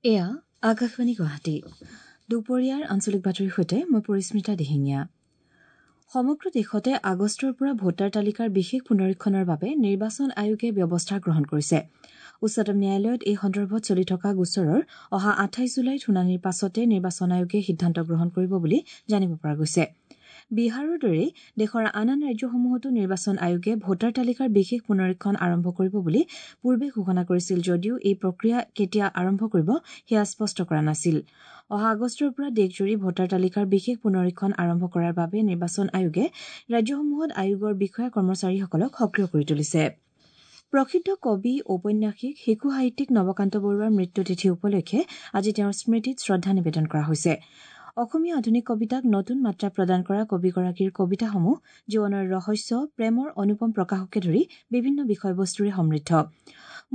এয়া আকাশবাণী গুৱাহাটী। দুপৰীয়াৰ আঞ্চলিক বাতৰিৰ সৈতে মই পৰিস্মিতা দিহিঙীয়া। সমগ্ৰ দেশতে আগষ্টৰ পৰা ভোটাৰ তালিকাৰ বিশেষ পুনৰীক্ষণৰ বাবে নিৰ্বাচন আয়োগে ব্যৱস্থা গ্ৰহণ কৰিছে। উচ্চতম ন্যায়ালয়ত এই সন্দৰ্ভত চলি থকা গোচৰৰ অহা 28 জুলাইত শুনানিৰ পাছতে নিৰ্বাচন আয়োগে সিদ্ধান্ত গ্ৰহণ কৰিব বুলি জানিব পৰা গৈছে। বিহাৰৰ দৰেই দেশৰ আন আন ৰাজ্যসমূহতো নিৰ্বাচন আয়োগে ভোটাৰ তালিকাৰ বিশেষ পুনৰীক্ষণ আৰম্ভ কৰিব বুলি পূৰ্বে ঘোষণা কৰিছিল যদিও এই প্ৰক্ৰিয়া কেতিয়া আৰম্ভ কৰিব সেয়া স্পষ্ট কৰা নাছিল। অহা আগষ্টৰ পৰা দেশজুৰি ভোটাৰ তালিকাৰ বিশেষ পুনৰীক্ষণ আৰম্ভ কৰাৰ বাবে নিৰ্বাচন আয়োগে ৰাজ্যসমূহত আয়োগৰ বিষয়া কৰ্মচাৰীসকলক সক্ৰিয় কৰি তুলিছে। প্ৰসিদ্ধ কবি, ঔপন্যাসিক, শিশু সাহিত্যিক নৱকান্ত বৰুৱাৰ মৃত্যুতিথি উপলক্ষে আজি তেওঁৰ স্মৃতিত শ্ৰদ্ধা নিবেদন কৰা হৈছে। অসমীয়া আধুনিক কবিতাক নতুন মাত্ৰা প্ৰদান কৰা কবিগৰাকীৰ কবিতাসমূহ জীৱনৰ ৰহস্য, প্ৰেমৰ অনুপম প্ৰকাশকে ধৰি বিভিন্ন বিষয়বস্তুৰে সমৃদ্ধ।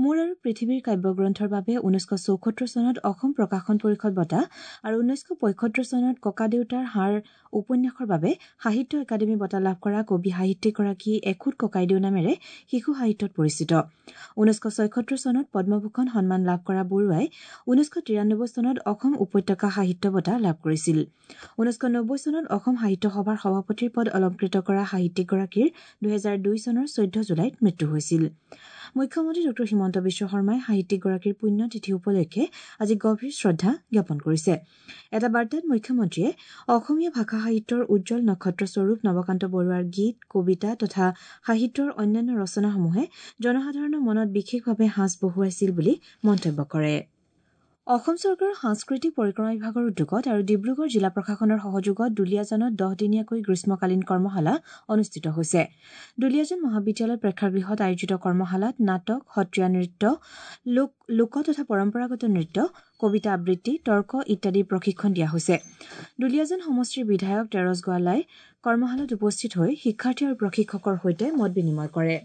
মোৰ আৰু পৃথিৱীৰ কাব্যগ্ৰন্থৰ বাবে 1974 চনত অসম প্ৰকাশন পৰিষদ বঁটা আৰু 1975 চনত ককাদেউতাৰ হাড় উপন্যাসৰ বাবে সাহিত্য একাডেমী বঁটা লাভ কৰা কবি সাহিত্যিকগৰাকী এখুদ ককাইদেউ নামেৰে শিশু সাহিত্যত পৰিচিত। 1976 চনত পদ্মভূষণ সন্মান লাভ কৰা বৰুৱাই 1993 চনত অসম উপত্যকা সাহিত্য বঁটা লাভ কৰিছিল। 1990 চনত অসম সাহিত্য সভাৰ সভাপতিৰ পদ অলংকৃত কৰা সাহিত্যিকগৰাকীৰ 2002 চনৰ 14 জুলাইত মৃত্যু হৈছিল। মুখ্যমন্ত্ৰী ডঃ হিমন্ত বিশ্ব শৰ্মাই সাহিত্যিকগৰাকীৰ পুণ্যতিথি উপলক্ষে আজি গভীৰ শ্ৰদ্ধা জ্ঞাপন কৰিছে। এটা বাৰ্তাত মুখ্যমন্ত্ৰীয়ে অসমীয়া ভাষা সাহিত্যৰ উজ্জ্বল নক্ষত্ৰস্বৰূপ নৱকান্ত বৰুৱাৰ গীত, কবিতা তথা সাহিত্যৰ অন্যান্য ৰচনাসমূহে জনসাধাৰণৰ মনত বিশেষভাৱে সাঁচ বহুৱাইছিল বুলি মন্তব্য কৰে। অসম চৰকাৰৰ সাংস্কৃতিক পৰিক্ৰমা বিভাগৰ উদ্যোগত আৰু ডিব্ৰুগড় জিলা প্ৰশাসনৰ সহযোগত দুলীয়াজানত 10 দিনীয়াকৈ গ্ৰীষ্মকালীন কৰ্মশালা অনুষ্ঠিত হৈছে। দুলীয়াজান মহাবিদ্যালয় প্ৰেক্ষাগৃহত আয়োজিত কৰ্মশালাত নাটক, সত্ৰীয়া নৃত্য, লোক তথা পৰম্পৰাগত নৃত্য, কবিতা আবৃত্তি, তৰ্ক ইত্যাদিৰ প্ৰশিক্ষণ দিয়া হৈছে। দুলীয়াজান সমষ্টিৰ বিধায়ক তেৰছ গোৱালাই কৰ্মশালাত উপস্থিত হৈ শিক্ষাৰ্থী আৰু প্ৰশিক্ষকৰ সৈতে মত বিনিময় কৰে।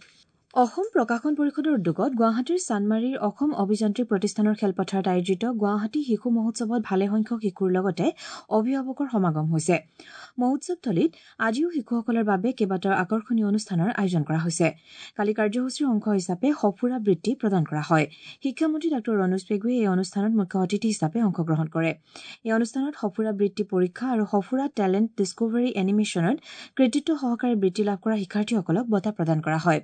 অসম প্ৰকাশন পৰিষদৰ উদ্যোগত গুৱাহাটীৰ চানমাৰীৰ অসম অভিযান্ত্ৰিক প্ৰতিষ্ঠানৰ খেলপথাৰত আয়োজিত গুৱাহাটী শিশু মহোৎসৱত ভালেসংখ্যক শিশুৰ লগতে অভিভাৱকৰ সমাগম হৈছে। মহোৎসৱথলীত আজিও শিশুসকলৰ বাবে কেইবাটাও আকৰ্ষণীয় অনুষ্ঠানৰ আয়োজন কৰা হৈছে। কালি কাৰ্যসূচীৰ অংশ হিচাপে সঁফুৰা বৃত্তি প্ৰদান কৰা হয়। শিক্ষামন্ত্ৰী ডাঃ ৰণোজ পেগুৱে এই অনুষ্ঠানত মুখ্য অতিথি হিচাপে অংশগ্ৰহণ কৰে। এই অনুষ্ঠানত সঁফুৰা বৃত্তি পৰীক্ষা আৰু সঁফুৰা টেলেণ্ট ডিছকভাৰী এনিমেশ্যনত কৃতিত্ব সহকাৰে বৃত্তি লাভ কৰা শিক্ষাৰ্থীসকলক বঁটা প্ৰদান কৰা হয়।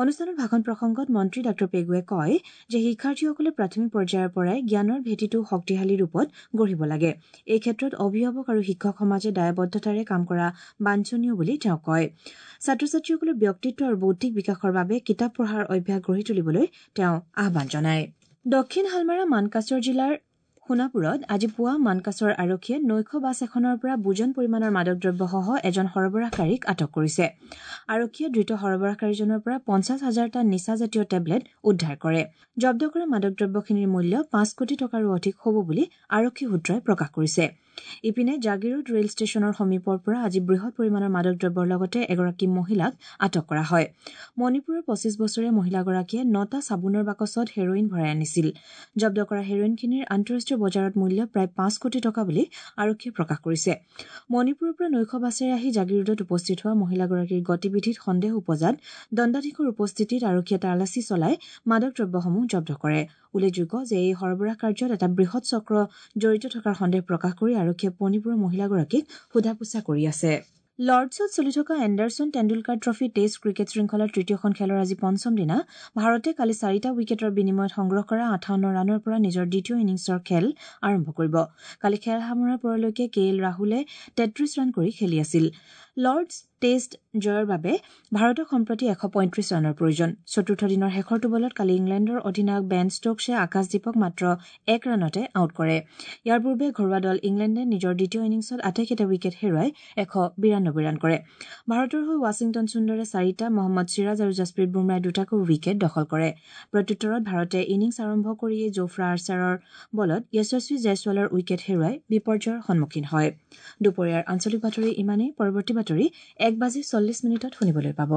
অনুষ্ঠানত ভাষণ প্ৰসংগত মন্ত্ৰী ডাঃ পেগুৱে কয় যে শিক্ষাৰ্থীসকলে প্ৰাথমিক পৰ্যায়ৰ পৰাই জ্ঞানৰ ভেটিটো শক্তিশালী ৰূপত গঢ়িব লাগে। এই ক্ষেত্ৰত অভিভাৱক আৰু শিক্ষক সমাজে দায়বদ্ধতাৰে কাম কৰা বাঞ্ছনীয় বুলি তেওঁ কয়। ছাত্ৰ ছাত্ৰীসকলৰ ব্যক্তিত্ব আৰু বৌদ্ধিক বিকাশৰ বাবে কিতাপ পঢ়াৰ অভ্যাস গঢ়ি তুলিবলৈ তেওঁ আহ্বান জনায়। দক্ষিণ শালমাৰা মানকাচৰ জিলাৰ সোণাপুৰত আজি পুৱা মানকাচৰ আৰক্ষীয়ে নৈশ বাছ এখনৰ পৰা বুজন পৰিমাণৰ মাদক দ্ৰব্যসহ এজন সৰবৰাহকাৰীক আটক কৰিছে। আৰক্ষীয়ে ধৃত সৰবৰাহকাৰীজনৰ পৰা 50 হাজাৰটা নিচাজাতীয় টেবলেট উদ্ধাৰ কৰে। জব্দ কৰা মাদক দ্ৰব্যখিনিৰ মূল্য 5 কোটি টকাৰো অধিক হ'ব বুলি আৰক্ষী সূত্ৰই প্ৰকাশ কৰিছে। ইপিনে জাগিৰোড ৰেল ষ্টেচনৰ সমীপৰ পৰা আজি বৃহৎ পৰিমাণৰ মাদক দ্ৰব্যৰ লগতে এগৰাকী মহিলাক আটক কৰা হয়। মণিপুৰৰ 25 বছৰীয়া মহিলাগৰাকীয়ে 9টা চাবোনৰ বাকচত হেৰইন ভৰাই আনিছিল। জব্দ কৰা হেৰইনখিনিৰ আন্তঃৰাষ্ট্ৰীয় বজাৰত মূল্য প্ৰায় 5 কোটি টকা বুলি আৰক্ষীয়ে প্ৰকাশ কৰিছে। মণিপুৰৰ পৰা নৈশ বাছেৰে আহি জাগিৰোডত উপস্থিত হোৱা মহিলাগৰাকীৰ গতিবিধিত সন্দেহ উপজাত দণ্ডাধীশৰ উপস্থিতিত আৰক্ষীয়ে তালাচী চলাই মাদক দ্ৰব্যসমূহ জব্দ কৰে। উল্লেখযোগ্য যে এই সৰবৰাহ কাৰ্যত এটা বৃহৎ চক্ৰ জড়িত থকাৰ সন্দেহ প্ৰকাশ কৰি আৰক্ষীয়ে মণিপুৰৰ মহিলাগৰাকীক সোধা পোছা কৰি আছে। লৰ্ডছত চলি থকা Anderson Tendulkar trophy test cricket শৃংখলাৰ তৃতীয়খন খেলৰ আজি পঞ্চম দিনা ভাৰতে কালি 4টা উইকেটৰ বিনিময়ত সংগ্ৰহ কৰা 58 ৰানৰ পৰা নিজৰ দ্বিতীয় ইনিংছৰ খেল আৰম্ভ কৰিব। কালি খেল সামৰাৰ পৰলৈকে কে এল ৰাহুলে 33 ৰান কৰি খেলি আছিল। লৰ্ডছ টেষ্ট জয়ৰ বাবে ভাৰতক সম্প্ৰতি 135 ৰানৰ প্ৰয়োজন। চতুৰ্থ দিনৰ শেষৰটো বলত কালি ইংলেণ্ডৰ অধিনায়ক বেন ষ্টকছে আকাশদীপক মাত্ৰ 1 ৰানতে আউট কৰে। ইয়াৰ পূৰ্বে ঘৰুৱা দল ইংলেণ্ডে নিজৰ দ্বিতীয় ইনিংছত আটাইকেইটা উইকেট হেৰুৱাই 192 ৰান কৰে। ভাৰতৰ হৈ ৱাশ্বিংটন সুন্দৰে 4টা, মহম্মদ চিৰাজ আৰু জছপ্ৰীত বুমৰাই দুটাকৈ উইকেট দখল কৰে। প্ৰত্যুত্তৰত ভাৰতে ইনিংছ আৰম্ভ কৰিয়েই জোফ্ৰা আৰ্চাৰৰ বলত যশস্বী জয়ছোৱালৰ উইকেট হেৰুৱাই বিপৰ্যয়ৰ সন্মুখীন হয়। দুপৰীয়াৰ আঞ্চলিক বাতৰি ইমানেই। পৰৱৰ্তী বাতৰি 1:40 শুনিবলৈ পাব।